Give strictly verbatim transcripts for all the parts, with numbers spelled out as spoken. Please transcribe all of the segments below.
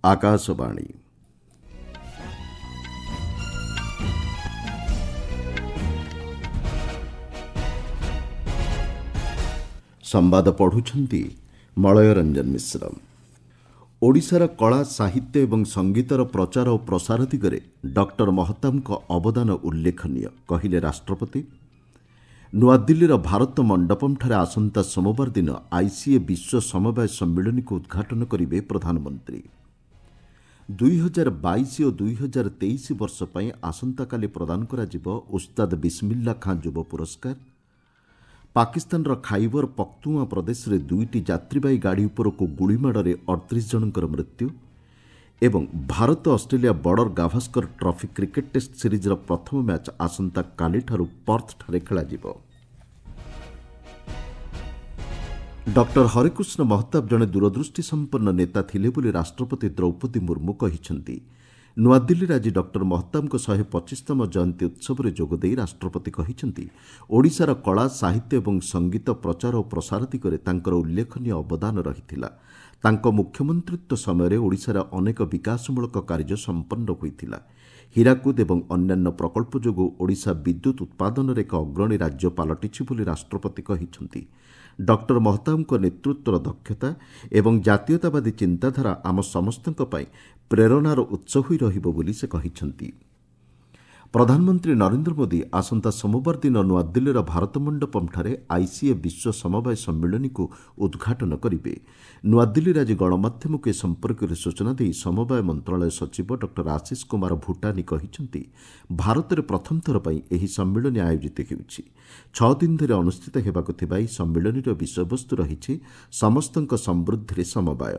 ଆକାଶବାଣୀ। ସମ୍ବାଦ ପଢ଼ୁଛନ୍ତି ମଳୟ ରଞ୍ଜନ ମିଶ୍ର। ଓଡ଼ିଶାର କଳା, ସାହିତ୍ୟ ଏବଂ ସଙ୍ଗୀତର ପ୍ରଚାର ଓ ପ୍ରସାର ଦିଗରେ ଡକ୍ଟର ମହତାବଙ୍କ ଅବଦାନ ଉଲ୍ଲେଖନୀୟ, କହିଲେ ରାଷ୍ଟ୍ରପତି। ନୂଆଦିଲ୍ଲୀର ଭାରତ ମଣ୍ଡପମ୍ଠାରେ ଆସନ୍ତା ସୋମବାର ଦିନ ଆଇସିଏ ବିଶ୍ୱ ସମବାୟ ସମ୍ମିଳନୀକୁ ଉଦ୍ଘାଟନ କରିବେ ପ୍ରଧାନମନ୍ତ୍ରୀ। ଦୁଇହଜାର ବାଇଶ ଓ ଦୁଇହଜାର ତେଇଶ ବର୍ଷ ପାଇଁ ଆସନ୍ତାକାଲି ପ୍ରଦାନ କରାଯିବ ଉସ୍ତାଦ ବିସ୍ମିଲ୍ଲା ଖାଁ ଯୁବ ପୁରସ୍କାର। ପାକିସ୍ତାନର ଖାଇବର ପଖ୍ତୁଆଁ ପ୍ରଦେଶରେ ଦୁଇଟି ଯାତ୍ରୀବାହୀ ଗାଡ଼ି ଉପରକୁ ଗୁଳିମାଡ଼ରେ ଅଠତିରିଶ ଜଣଙ୍କର ମୃତ୍ୟୁ ଏବଂ Bharat Australia Border Gavaskar Trophy cricket test ସିରିଜ୍ର ପ୍ରଥମ ମ୍ୟାଚ୍ ଆସନ୍ତାକାଲିଠାରୁ ପର୍ଥଠାରେ ଖେଳାଯିବ। ଡକ୍ଟର ହରେକୃଷ୍ଣ ମହତାବ ଜଣେ ଦୂରଦୃଷ୍ଟି ସମ୍ପନ୍ନ ନେତା ଥିଲେ ବୋଲି ରାଷ୍ଟ୍ରପତି ଦ୍ରୌପଦୀ ମୁର୍ମୁ କହିଛନ୍ତି। ନୂଆଦିଲ୍ଲୀରେ ଆଜି ଡକ୍ଟର ମହତାବଙ୍କ ଶହେ ପଚିଶତମ ଜୟନ୍ତୀ ଉତ୍ସବରେ ଯୋଗଦେଇ ରାଷ୍ଟ୍ରପତି କହିଛନ୍ତି, ଓଡ଼ିଶାର କଳା, ସାହିତ୍ୟ ଏବଂ ସଙ୍ଗୀତ ପ୍ରଚାର ଓ ପ୍ରସାର ଦିଗରେ ତାଙ୍କର ଉଲ୍ଲେଖନୀୟ ଅବଦାନ ରହିଥିଲା। ତାଙ୍କ ମୁଖ୍ୟମନ୍ତ୍ରିତ୍ୱ ସମୟରେ ଓଡ଼ିଶାରେ ଅନେକ ବିକାଶମୂଳକ କାର୍ଯ୍ୟ ସମ୍ପନ୍ନ ହୋଇଥିଲା। ହୀରାକୁଦ ଏବଂ ଅନ୍ୟାନ୍ୟ ପ୍ରକଳ୍ପ ଯୋଗୁଁ ଓଡ଼ିଶା ବିଦ୍ୟୁତ୍ ଉତ୍ପାଦନରେ ଏକ ଅଗ୍ରଣୀ ରାଜ୍ୟ ପାଲଟିଛି ବୋଲି ରାଷ୍ଟ୍ରପତି କହିଛନ୍ତି। ଡକ୍ଟର ମହତାବଙ୍କ ନେତୃତ୍ୱର ଦକ୍ଷତା ଏବଂ ଜାତୀୟତାବାଦୀ ଚିନ୍ତାଧାରା ଆମ ସମସ୍ତଙ୍କ ପାଇଁ ପ୍ରେରଣାର ଉତ୍ସ ହୋଇ ରହିବ ବୋଲି ସେ କହିଛନ୍ତି। ପ୍ରଧାନମନ୍ତ୍ରୀ ନରେନ୍ଦ୍ର ମୋଦି ଆସନ୍ତା ସୋମବାର ଦିନ ନୂଆଦିଲ୍ଲୀର ଭାରତ ମଣ୍ଡପମ୍ଠାରେ ଆଇସିଏ ବିଶ୍ୱ ସମବାୟ ସମ୍ମିଳନୀକୁ ଉଦ୍ଘାଟନ କରିବେ। ନୂଆଦିଲ୍ଲୀରେ ଆଜି ଗଣମାଧ୍ୟମକୁ ଏ ସମ୍ପର୍କରେ ସୂଚନା ଦେଇ ସମବାୟ ମନ୍ତ୍ରଣାଳୟ ସଚିବ ଡକ୍ଟର ଆଶିଷ କୁମାର ଭୁଟାନି କହିଛନ୍ତି, ଭାରତରେ ପ୍ରଥମ ଥର ପାଇଁ ଏହି ସମ୍ମିଳନୀ ଆୟୋଜିତ ହେଉଛି। ଛଅ ଦିନ ଧରି ଅନୁଷ୍ଠିତ ହେବାକୁ ଥିବା ଏହି ସମ୍ମିଳନୀର ବିଷୟବସ୍ତୁ ରହିଛି ସମସ୍ତଙ୍କ ସମୃଦ୍ଧିରେ ସମବାୟ।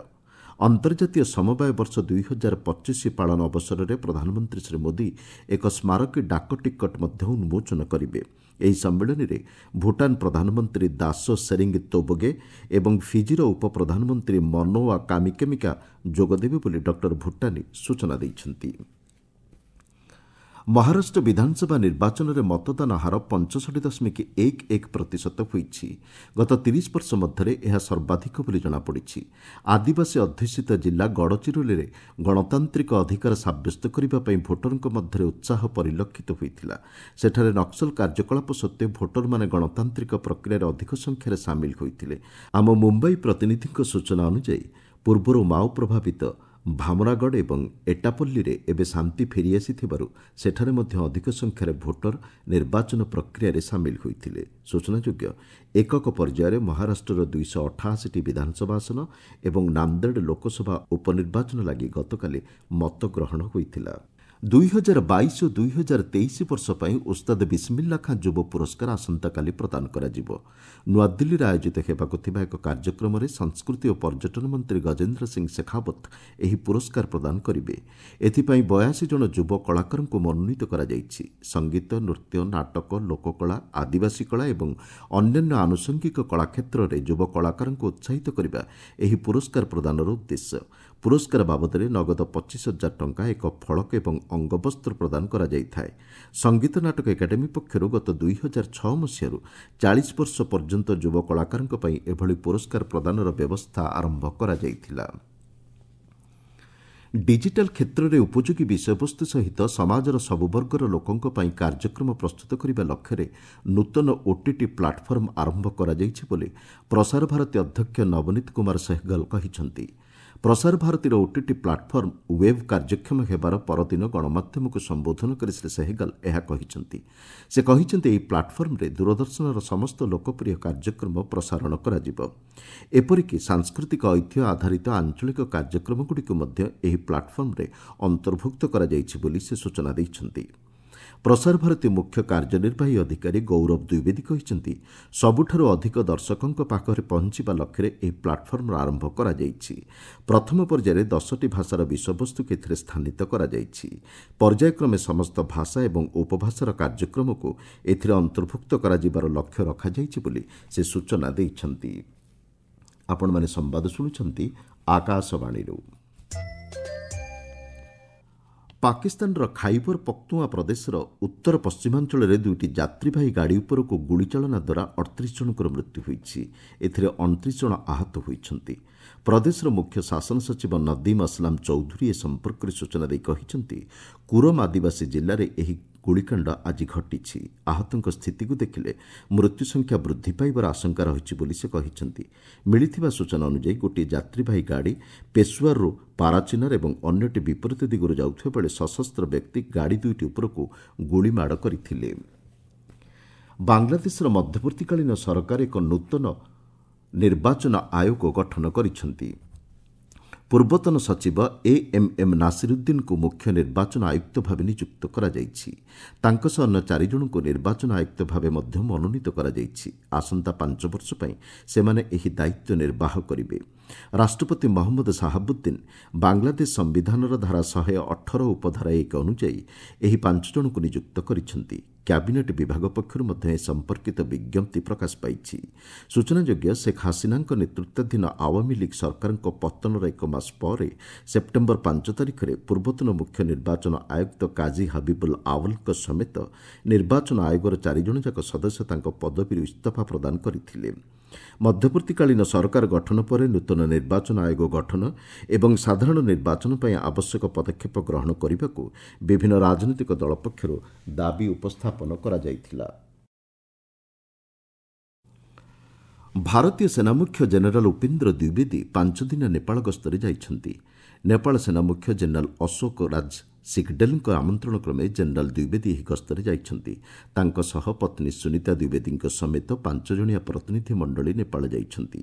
ଅନ୍ତର୍ଜାତୀୟ ସମବାୟ ବର୍ଷ ଦୁଇହଜାର ପଚିଶ ପାଳନ ଅବସରରେ ପ୍ରଧାନମନ୍ତ୍ରୀ ଶ୍ରୀ ମୋଦି ଏକ ସ୍ମାରକୀ ଡାକ ଟିକଟ ମଧ୍ୟ ଉନ୍ମୋଚନ କରିବେ। ଏହି ସମ୍ମିଳନୀରେ ଭୁଟାନ ପ୍ରଧାନମନ୍ତ୍ରୀ ଦାସୋ ସେରିଙ୍ଗ ତୋବଗେ ଏବଂ ଫିଜିର ଉପପ୍ରଧାନମନ୍ତ୍ରୀ ମନୋଆ କାମିକେମିକା ଯୋଗଦେବେ ବୋଲି ଡକ୍ଟର ଭୁଟାନି ସୂଚନା ଦେଇଛନ୍ତି। ମହାରାଷ୍ଟ୍ର ବିଧାନସଭା ନିର୍ବାଚନରେ ମତଦାନ ହାର ପଞ୍ଚଷଠି ଦଶମିକ ଏକ ଏକ ପ୍ରତିଶତ ହୋଇଛି। ଗତ ତିରିଶ ବର୍ଷ ମଧ୍ୟରେ ଏହା ସର୍ବାଧିକ ବୋଲି ଜଣାପଡ଼ିଛି। ଆଦିବାସୀ ଅଧ୍ୟୁଷିତ ଜିଲ୍ଲା ଗଡ଼ଚିରୋଲିରେ ଗଣତାନ୍ତ୍ରିକ ଅଧିକାର ସାବ୍ୟସ୍ତ କରିବା ପାଇଁ ଭୋଟରଙ୍କ ମଧ୍ୟରେ ଉତ୍ସାହ ପରିଲକ୍ଷିତ ହୋଇଥିଲା। ସେଠାରେ ନକ୍ସଲ କାର୍ଯ୍ୟକଳାପ ସତ୍ତ୍ୱେ ଭୋଟରମାନେ ଗଣତାନ୍ତ୍ରିକ ପ୍ରକ୍ରିୟାରେ ଅଧିକ ସଂଖ୍ୟାରେ ସାମିଲ ହୋଇଥିଲେ। ଆମ ମୁମ୍ବାଇ ପ୍ରତିନିଧିଙ୍କ ସୂଚନା ଅନୁଯାୟୀ ପୂର୍ବରୁ ମାଓ ପ୍ରଭାବିତ ଭାମରାଗଡ଼ ଏବଂ ଏଟାପଲ୍ଲୀରେ ଏବେ ଶାନ୍ତି ଫେରିଆସିଥିବାରୁ ସେଠାରେ ମଧ୍ୟ ଅଧିକ ସଂଖ୍ୟାରେ ଭୋଟର ନିର୍ବାଚନ ପ୍ରକ୍ରିୟାରେ ସାମିଲ ହୋଇଥିଲେ। ସୂଚନାଯୋଗ୍ୟ, ଏକକ ପର୍ଯ୍ୟାୟରେ ମହାରାଷ୍ଟ୍ରର ଦୁଇଶହ ଅଠାଅଶୀଟି ବିଧାନସଭା ଆସନ ଏବଂ ନାନ୍ଦେଡ଼ ଲୋକସଭା ଉପନିର୍ବାଚନ ଲାଗି ଗତକାଲି ମତଗ୍ରହଣ ହୋଇଥିଲା। ଦୁଇହଜାର ବାଇଶ ଓ ଦୁଇହଜାର ତେଇଶ ବର୍ଷ ପାଇଁ ଉସ୍ତାଦ ବିସ୍ମିଲ୍ଲା ଖାଁ ଯୁବ ପୁରସ୍କାର ଆସନ୍ତାକାଲି ପ୍ରଦାନ କରାଯିବ। ନୂଆଦିଲ୍ଲୀରେ ଆୟୋଜିତ ହେବାକୁ ଥିବା ଏକ କାର୍ଯ୍ୟକ୍ରମରେ ସଂସ୍କୃତି ଓ ପର୍ଯ୍ୟଟନ ମନ୍ତ୍ରୀ ଗଜେନ୍ଦ୍ର ସିଂ ଶେଖାଓ୍ୱତ ଏହି ପୁରସ୍କାର ପ୍ରଦାନ କରିବେ। ଏଥିପାଇଁ ବୟାଅଶୀ ଜଣ ଯୁବ କଳାକାରଙ୍କୁ ମନୋନୀତ କରାଯାଇଛି। ସଙ୍ଗୀତ, ନୃତ୍ୟ, ନାଟକ, ଲୋକକଳା, ଆଦିବାସୀ କଳା ଏବଂ ଅନ୍ୟାନ୍ୟ ଆନୁଷଙ୍ଗିକ କଳା କ୍ଷେତ୍ରରେ ଯୁବ କଳାକାରଙ୍କୁ ଉତ୍ସାହିତ କରିବା ଏହି ପୁରସ୍କାର ପ୍ରଦାନର ଉଦ୍ଦେଶ୍ୟ। ପୁରସ୍କାର ବାବଦରେ ନଗଦ ପଚିଶ ହଜାର ଟଙ୍କା, ଏକ ଫଳକ ଏବଂ ଅଙ୍ଗବସ୍ତ୍ର ପ୍ରଦାନ କରାଯାଇଥାଏ। ସଙ୍ଗୀତ ନାଟକ ଏକାଡେମୀ ପକ୍ଷରୁ ଗତ ଦୁଇହଜାର ଛଅ ମସିହାରୁ ଚାଳିଶ ବର୍ଷ ପର୍ଯ୍ୟନ୍ତ ଯୁବ କଳାକାରଙ୍କ ପାଇଁ ଏଭଳି ପୁରସ୍କାର ପ୍ରଦାନର ବ୍ୟବସ୍ଥା ଆରମ୍ଭ କରାଯାଇଥିଲା। ଡିଜିଟାଲ କ୍ଷେତ୍ରରେ ଉପଯୋଗୀ ବିଷୟବସ୍ତୁ ସହିତ ସମାଜର ସବୁ ବର୍ଗର ଲୋକଙ୍କ ପାଇଁ କାର୍ଯ୍ୟକ୍ରମ ପ୍ରସ୍ତୁତ କରିବା ଲକ୍ଷ୍ୟରେ ନୂତନ ଓଟିଟି ପ୍ଲାଟଫର୍ମ ଆରମ୍ଭ କରାଯାଇଛି ବୋଲି ପ୍ରସାର ଭାରତୀ ଅଧ୍ୟକ୍ଷ ନବନୀତ କୁମାର ସେହଗଲ କହିଛନ୍ତି। ପ୍ରସାର ଭାରତୀର ଓଟିଟି ପ୍ଲାଟଫର୍ମ ୱେବ୍ କାର୍ଯ୍ୟକ୍ଷମ ହେବାର ପରଦିନ ଗଣମାଧ୍ୟମକୁ ସମ୍ବୋଧନ କରି ଶ୍ରୀ ସେହଗଲ ଏହା କହିଛନ୍ତି। ସେ କହିଛନ୍ତି, ଏହି ପ୍ଲାଟଫର୍ମରେ ଦୂରଦର୍ଶନର ସମସ୍ତ ଲୋକପ୍ରିୟ କାର୍ଯ୍ୟକ୍ରମ ପ୍ରସାରଣ କରାଯିବ। ଏପରିକି ସାଂସ୍କୃତିକ ଐତିହ୍ୟ ଆଧାରିତ ଆଞ୍ଚଳିକ କାର୍ଯ୍ୟକ୍ରମଗୁଡ଼ିକୁ ମଧ୍ୟ ଏହି ପ୍ଲାଟଫର୍ମରେ ଅନ୍ତର୍ଭୁକ୍ତ କରାଯାଇଛି ବୋଲି ସେ ସୂଚନା ଦେଇଛନ୍ତି। ପ୍ରସାର ଭାରତୀ ମୁଖ୍ୟ କାର୍ଯ୍ୟନିର୍ବାହୀ ଅଧିକାରୀ ଗୌରବ ଦ୍ୱିବେଦୀ କହିଛନ୍ତି, ସବୁଠାରୁ ଅଧିକ ଦର୍ଶକଙ୍କ ପାଖରେ ପହଞ୍ଚିବା ଲକ୍ଷ୍ୟରେ ଏହି ପ୍ଲାଟଫର୍ମର ଆରମ୍ଭ କରାଯାଇଛି। ପ୍ରଥମ ପର୍ଯ୍ୟାୟରେ ଦଶଟି ଭାଷାର ବିଷୟବସ୍ତୁକୁ ଏଥିରେ ସ୍ଥାନିତ କରାଯାଇଛି। ପର୍ଯ୍ୟାୟକ୍ରମେ ସମସ୍ତ ଭାଷା ଏବଂ ଉପଭାଷାର କାର୍ଯ୍ୟକ୍ରମକୁ ଏଥିରେ ଅନ୍ତର୍ଭୁକ୍ତ କରାଯିବାର ଲକ୍ଷ୍ୟ ରଖାଯାଇଛି ବୋଲି ସେ ସୂଚନା ଦେଇଛନ୍ତି। ଆପଣମାନେ ସମ୍ବାଦ ଶୁଣୁଛନ୍ତି ଆକାଶବାଣୀରୁ। ପାକିସ୍ତାନର ଖାଇବର ପଖ୍ତୁଆ ପ୍ରଦେଶର ଉତ୍ତର ପଶ୍ଚିମାଞ୍ଚଳରେ ଦୁଇଟି ଯାତ୍ରୀବାହୀ ଗାଡ଼ି ଉପରକୁ ଗୁଳିଚାଳନା ଦ୍ୱାରା ଅଠତିରିଶ ଜଣଙ୍କର ମୃତ୍ୟୁ ହୋଇଛି। ଏଥିରେ ଅଣତିରିଶ ଜଣ ଆହତ ହୋଇଛନ୍ତି। ପ୍ରଦେଶର ମୁଖ୍ୟ ଶାସନ ସଚିବ ନଦୀମ ଅସଲାମ ଚୌଧୁରୀ ଏ ସମ୍ପର୍କରେ ସୂଚନା ଦେଇ କହିଛନ୍ତି, କୁରମ ଆଦିବାସୀ ଜିଲ୍ଲାରେ ଏହି ଗୁଳିକାଣ୍ଡ ଆଜି ଘଟିଛି। ଆହତଙ୍କ ସ୍ଥିତିକୁ ଦେଖିଲେ ମୃତ୍ୟୁ ସଂଖ୍ୟା ବୃଦ୍ଧି ପାଇବାର ଆଶଙ୍କା ରହିଛି ବୋଲି ସେ କହିଛନ୍ତି। ମିଳିଥିବା ସୂଚନା ଅନୁଯାୟୀ ଗୋଟିଏ ଯାତ୍ରୀବାହୀ ଗାଡ଼ି ପେଶୱାରରୁ ପାରାଚିନାର ଏବଂ ଅନ୍ୟଟି ବିପରୀତ ଦିଗରୁ ଯାଉଥିବା ବେଳେ ସଶସ୍ତ୍ର ବ୍ୟକ୍ତି ଗାଡ଼ି ଦୁଇଟି ଉପରକୁ ଗୁଳିମାଡ଼ କରିଥିଲେ। ବାଂଲାଦେଶର ମଧ୍ୟବର୍ତ୍ତୀକାଳୀନ ସରକାର ଏକ ନୂତନ ନିର୍ବାଚନ ଆୟୋଗ ଗଠନ କରିଛନ୍ତି। ପୂର୍ବତନ ସଚିବ ଏ ଏମ୍ ଏମ୍ ନାସିରୁଦ୍ଦିନଙ୍କୁ ମୁଖ୍ୟ ନିର୍ବାଚନ ଆୟୁକ୍ତ ଭାବେ ନିଯୁକ୍ତ କରାଯାଇଛି। ତାଙ୍କ ସହ ଅନ୍ୟ ଚାରିଜଣଙ୍କୁ ନିର୍ବାଚନ ଆୟୁକ୍ତ ଭାବେ ମଧ୍ୟ ମନୋନୀତ କରାଯାଇଛି। ଆସନ୍ତା ପାଞ୍ଚ ବର୍ଷ ପାଇଁ ସେମାନେ ଏହି ଦାୟିତ୍ୱ ନିର୍ବାହ କରିବେ। ରାଷ୍ଟ୍ରପତି ମହମ୍ମଦ ସାହାବୁଦ୍ଦିନ ବାଂଲାଦେଶ ସମ୍ବିଧାନର ଧାରା ଶହେ ଅଠର ଉପଧାରା ଏକ ଅନୁଯାୟୀ ଏହି ପାଞ୍ଚ ଜଣଙ୍କୁ ନିଯୁକ୍ତ କରିଛନ୍ତି। କ୍ୟାବିନେଟ୍ ବିଭାଗ ପକ୍ଷରୁ ମଧ୍ୟ ଏ ସମ୍ପର୍କିତ ବିଜ୍ଞପ୍ତି ପ୍ରକାଶ ପାଇଛି। ସୂଚନାଯୋଗ୍ୟ, ଶେଖ୍ ହାସିନାଙ୍କ ନେତୃତ୍ୱାଧୀନ ଆୱାମୀ ଲିଗ୍ ସରକାରଙ୍କ ପତନର ଏକ ମାସ ପରେ ସେପ୍ଟେମ୍ବର ପାଞ୍ଚ ତାରିଖରେ ପୂର୍ବତନ ମୁଖ୍ୟ ନିର୍ବାଚନ ଆୟୁକ୍ତ କାଜୀ ହାବିବୁଲ ଆୱଲଙ୍କ ସମେତ ନିର୍ବାଚନ ଆୟୋଗର ଚାରିଜଣଯାକ ସଦସ୍ୟ ତାଙ୍କ ପଦବୀରୁ ଇସ୍ତଫା ପ୍ରଦାନ କରିଥିଲେ। ମଧ୍ୟବର୍ତ୍ତୀକାଳୀନ ସରକାର ଗଠନ ପରେ ନୂତନ ନିର୍ବାଚନ ଆୟୋଗ ଗଠନ ଏବଂ ସାଧାରଣ ନିର୍ବାଚନ ପାଇଁ ଆବଶ୍ୟକ ପଦକ୍ଷେପ ଗ୍ରହଣ କରିବାକୁ ବିଭିନ୍ନ ରାଜନୈତିକ ଦଳ ପକ୍ଷରୁ ଦାବି ଉପସ୍ଥାପନ କରାଯାଇଥିଲା। ଭାରତୀୟ ସେନାମୁଖ୍ୟ ଜେନେରାଲ ଉପେନ୍ଦ୍ର ଦ୍ୱିବେଦୀ ପାଞ୍ଚଦିନିଆ ନେପାଳ ଗସ୍ତରେ ଯାଇଛନ୍ତି। ନେପାଳ ସେନାମୁଖ୍ୟ ଜେନେରାଲ ଅଶୋକ ରାଜ ସିଗଡେଲଙ୍କ ଆମନ୍ତ୍ରଣ କ୍ରମେ ଜେନେରାଲ ଦ୍ୱିବେଦୀ ଏହି ଗସ୍ତରେ ଯାଇଛନ୍ତି। ତାଙ୍କ ସହ ପତ୍ନୀ ସୁନୀତା ଦ୍ୱିବେଦୀଙ୍କ ସମେତ ପାଞ୍ଚ ଜଣିଆ ପ୍ରତିନିଧି ମଣ୍ଡଳୀ ନେପାଳ ଯାଇଛନ୍ତି।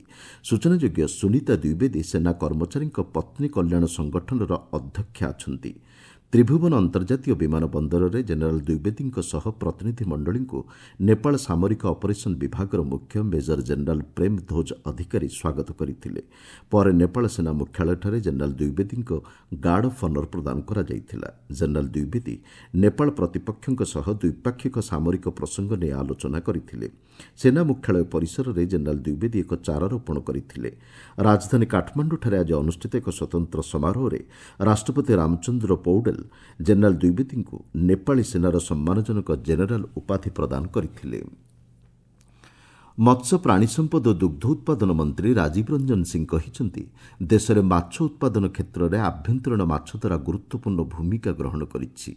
ସୂଚନାଯୋଗ୍ୟ, ସୁନୀତା ଦ୍ୱିବେଦୀ ସେନା କର୍ମଚାରୀଙ୍କ ପତ୍ନୀ କଲ୍ୟାଣ ସଂଗଠନର ଅଧ୍ୟକ୍ଷା ଅଛନ୍ତି। ତ୍ରିଭୁବନ ଅନ୍ତର୍ଜାତୀୟ ବିମାନ ବନ୍ଦରରେ ଜେନେରାଲ ଦ୍ୱିବେଦୀଙ୍କ ସହ ପ୍ରତିନିଧି ମଣ୍ଡଳୀଙ୍କୁ ନେପାଳ ସାମରିକ ଅପରେସନ ବିଭାଗର ମୁଖ୍ୟ ମେଜର ଜେନେରାଲ ପ୍ରେମ ଧ୍ୱଜ ଅଧିକାରୀ ସ୍ୱାଗତ କରିଥିଲେ। ପରେ ନେପାଳ ସେନା ମୁଖ୍ୟାଳୟଠାରେ ଜେନେରାଲ ଦ୍ୱିବେଦୀଙ୍କ ଗାର୍ଡ ଅଫ୍ ଅନର ପ୍ରଦାନ କରାଯାଇଥିଲା। ଜେନେରାଲ ଦ୍ୱିବେଦୀ ନେପାଳ ପ୍ରତିପକ୍ଷଙ୍କ ସହ ଦ୍ୱିପାକ୍ଷିକ ସାମରିକ ପ୍ରସଙ୍ଗ ନେଇ ଆଲୋଚନା କରିଥିଲେ। ସେନା ମୁଖ୍ୟାଳୟ ପରିସରରେ ଜେନେରାଲ ଦ୍ୱିବେଦୀ ଏକ ଚାରା ରୋପଣ କରିଥିଲେ। ରାଜଧାନୀ କାଠମାଣ୍ଡୁଠାରେ ଆଜି ଅନୁଷ୍ଠିତ ଏକ ସ୍ୱତନ୍ତ୍ର ସମାରୋହରେ ରାଷ୍ଟ୍ରପତି ରାମଚନ୍ଦ୍ର ପୌଡେଲ ଜେନେରାଲ ଦ୍ୱିବେଦୀଙ୍କୁ ନେପାଳୀ ସେନାର ସମ୍ମାନଜନକ ଜେନେରାଲ ଉପାଧି ପ୍ରଦାନ କରିଥିଲେ। ମତ୍ସ୍ୟ, ପ୍ରାଣୀ ସମ୍ପଦ ଓ ଦୁଗ୍ଧ ଉତ୍ପାଦନ ମନ୍ତ୍ରୀ ରାଜୀବ ରଞ୍ଜନ ସିଂ କହିଛନ୍ତି, ଦେଶରେ ମାଛ ଉତ୍ପାଦନ କ୍ଷେତ୍ରରେ ଆଭ୍ୟନ୍ତରୀଣ ମାଛଧରା ଗୁରୁତ୍ୱପୂର୍ଣ୍ଣ ଭୂମିକା ଗ୍ରହଣ କରିଛି।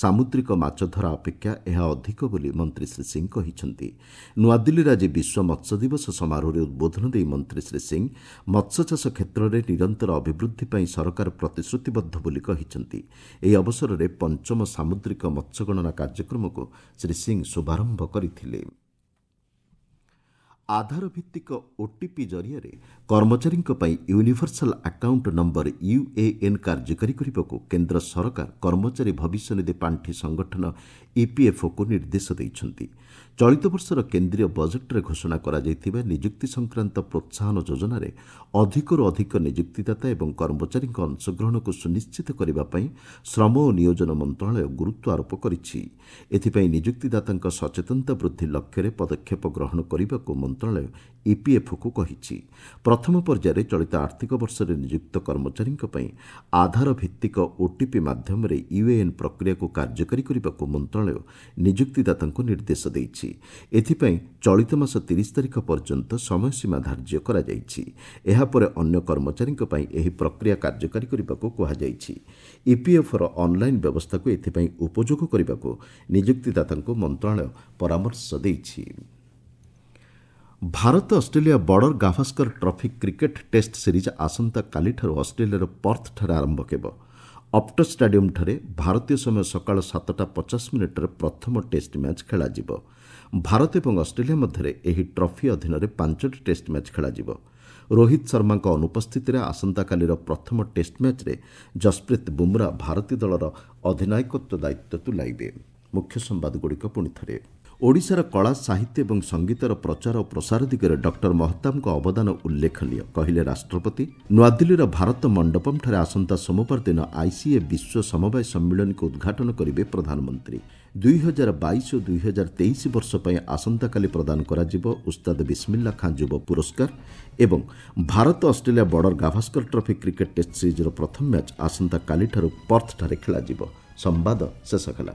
ସାମୁଦ୍ରିକ ମାଛଧରା ଅପେକ୍ଷା ଏହା ଅଧିକ ବୋଲି ମନ୍ତ୍ରୀ ଶ୍ରୀ ସିଂ କହିଛନ୍ତି। ନୂଆଦିଲ୍ଲୀରେ ଆଜି ବିଶ୍ୱ ମତ୍ସ୍ୟ ଦିବସ ସମାରୋହରେ ଉଦ୍ବୋଧନ ଦେଇ ମନ୍ତ୍ରୀ ଶ୍ରୀ ସିଂ ମତ୍ସ୍ୟଚାଷ କ୍ଷେତ୍ରରେ ନିରନ୍ତର ଅଭିବୃଦ୍ଧି ପାଇଁ ସରକାର ପ୍ରତିଶ୍ରୁତିବଦ୍ଧ ବୋଲି କହିଛନ୍ତି। ଏହି ଅବସରରେ ପଞ୍ଚମ ସାମୁଦ୍ରିକ ମତ୍ସ୍ୟଗଣନା କାର୍ଯ୍ୟକ୍ରମକୁ ଶ୍ରୀ ସିଂ ଶୁଭାରମ୍ଭ କରିଥିଲେ। ଆଧାର ଭିତ୍ତିକ ଓଟିପି ଜରିଆରେ କର୍ମଚାରୀଙ୍କ ପାଇଁ ୟୁନିଭର୍ସାଲ ଆକାଉଣ୍ଟ ନମ୍ବର ୟୁଏଏନ୍ କାର୍ଯ୍ୟକାରୀ କରିବାକୁ କେନ୍ଦ୍ର ସରକାର କର୍ମଚାରୀ ଭବିଷ୍ୟନିଧି ପାଣ୍ଠି ସଂଗଠନ ଇପିଏଫ୍ଓକୁ ନିର୍ଦ୍ଦେଶ ଦେଇଛନ୍ତି। ଚଳିତ ବର୍ଷର କେନ୍ଦ୍ରୀୟ ବଜେଟ୍ରେ ଘୋଷଣା କରାଯାଇଥିବା ନିଯୁକ୍ତି ସଂକ୍ରାନ୍ତ ପ୍ରୋତ୍ସାହନ ଯୋଜନାରେ ଅଧିକରୁ ଅଧିକ ନିଯୁକ୍ତିଦାତା ଏବଂ କର୍ମଚାରୀଙ୍କ ଅଂଶଗ୍ରହଣକୁ ସୁନିଶ୍ଚିତ କରିବା ପାଇଁ ଶ୍ରମ ଓ ନିୟୋଜନ ମନ୍ତ୍ରଣାଳୟ ଗୁରୁତ୍ୱ ଆରୋପ କରିଛି। ଏଥିପାଇଁ ନିଯୁକ୍ତିଦାତାଙ୍କ ସଚେତନତା ବୃଦ୍ଧି ଲକ୍ଷ୍ୟରେ ପଦକ୍ଷେପ ଗ୍ରହଣ କରିବାକୁ ମନ୍ତ୍ରଣାଳୟ ଇପିଏଫ୍ଓକୁ କହିଛି। ପ୍ରଥମ ପର୍ଯ୍ୟାୟରେ ଚଳିତ ଆର୍ଥିକ ବର୍ଷରେ ନିଯୁକ୍ତ କର୍ମଚାରୀଙ୍କ ପାଇଁ ଆଧାର ଭିତ୍ତିକ ଓଟିପି ମାଧ୍ୟମରେ ୟୁଏଏନ୍ ପ୍ରକ୍ରିୟାକୁ କାର୍ଯ୍ୟକାରୀ କରିବାକୁ ମନ୍ତ୍ରଣାଳୟ ନିଯୁକ୍ତିଦାତାଙ୍କୁ ନିର୍ଦ୍ଦେଶ ଦେଇଛି। ଏଥିପାଇଁ ଚଳିତ ମାସ ତିରିଶ ତାରିଖ ପର୍ଯ୍ୟନ୍ତ ସମୟସୀମା ଧାର୍ଯ୍ୟ କରାଯାଇଛି। ଏହାପରେ ଅନ୍ୟ କର୍ମଚାରୀଙ୍କ ପାଇଁ ଏହି ପ୍ରକ୍ରିୟା କାର୍ଯ୍ୟକାରୀ କରିବାକୁ କୁହାଯାଇଛି। ଇପିଏଫ୍ଓର ଅନ୍ଲାଇନ୍ ବ୍ୟବସ୍ଥାକୁ ଏଥିପାଇଁ ଉପଯୋଗ କରିବାକୁ ନିଯୁକ୍ତିଦାତାଙ୍କୁ ମନ୍ତ୍ରଣାଳୟ ପରାମର୍ଶ ଦେଇଛି। Bharat Australia Border Gavaskar trophy cricket test series ଆସନ୍ତାକାଲିଠାରୁ ଅଷ୍ଟ୍ରେଲିଆର ପର୍ଥଠାରେ ଆରମ୍ଭ ହେବ। ଅପ୍ଟସ୍ ଷ୍ଟାଡିୟମ୍ଠାରେ ଭାରତୀୟ ସମୟ ସକାଳ ସାତଟା ପଚାଶ ମିନିଟ୍ରେ ପ୍ରଥମ ଟେଷ୍ଟ ମ୍ୟାଚ୍ ଖେଳାଯିବ। ଭାରତ ଏବଂ ଅଷ୍ଟ୍ରେଲିଆ ମଧ୍ୟରେ ଏହି ଟ୍ରଫି ଅଧୀନରେ ପାଞ୍ଚଟି ଟେଷ୍ଟ ମ୍ୟାଚ୍ ଖେଳାଯିବ। ରୋହିତ ଶର୍ମାଙ୍କ ଅନୁପସ୍ଥିତିରେ ଆସନ୍ତାକାଲିର ପ୍ରଥମ ଟେଷ୍ଟ ମ୍ୟାଚ୍ରେ ଜସପ୍ରୀତ ବୁମ୍ରା ଭାରତୀୟ ଦଳର ଅଧିନାୟକତ୍ୱ ଦାୟିତ୍ୱ ତୁଲାଇବେ। ମୁଖ୍ୟ ସମ୍ବାଦଗୁଡ଼ିକ ପୁଣି ଥରେ। ଓଡ଼ିଶାର କଳା, ସାହିତ୍ୟ ଏବଂ ସଙ୍ଗୀତର ପ୍ରଚାର ଓ ପ୍ରସାର ଦିଗରେ ଡକ୍ଟର ମହତାବଙ୍କ ଅବଦାନ ଉଲ୍ଲେଖନୀୟ, କହିଲେ ରାଷ୍ଟ୍ରପତି। ନୂଆଦିଲ୍ଲୀର ଭାରତ ମଣ୍ଡପମ୍ଠାରେ ଆସନ୍ତା ସୋମବାର ଦିନ ଆଇସିଏ ବିଶ୍ୱ ସମବାୟ ସମ୍ମିଳନୀକୁ ଉଦ୍ଘାଟନ କରିବେ ପ୍ରଧାନମନ୍ତ୍ରୀ। ଦୁଇ ହଜାର ବାଇଶ ଓ ଦୁଇ ହଜାର ତେଇଶ ବର୍ଷ ପାଇଁ ଆସନ୍ତାକାଲି ପ୍ରଦାନ କରାଯିବ ଉସ୍ତାଦ ବିସ୍ମିଲ୍ଲା ଖାଁ ଯୁବ ପୁରସ୍କାର। ଏବଂ Bharat Australia Border Gavaskar trophy cricket test ସିରିଜ୍ର ପ୍ରଥମ ମ୍ୟାଚ୍ ଆସନ୍ତାକାଲିଠାରୁ ପର୍ଥଠାରେ ଖେଳାଯିବ। ସମ୍ବାଦ ଶେଷ ହେଲା।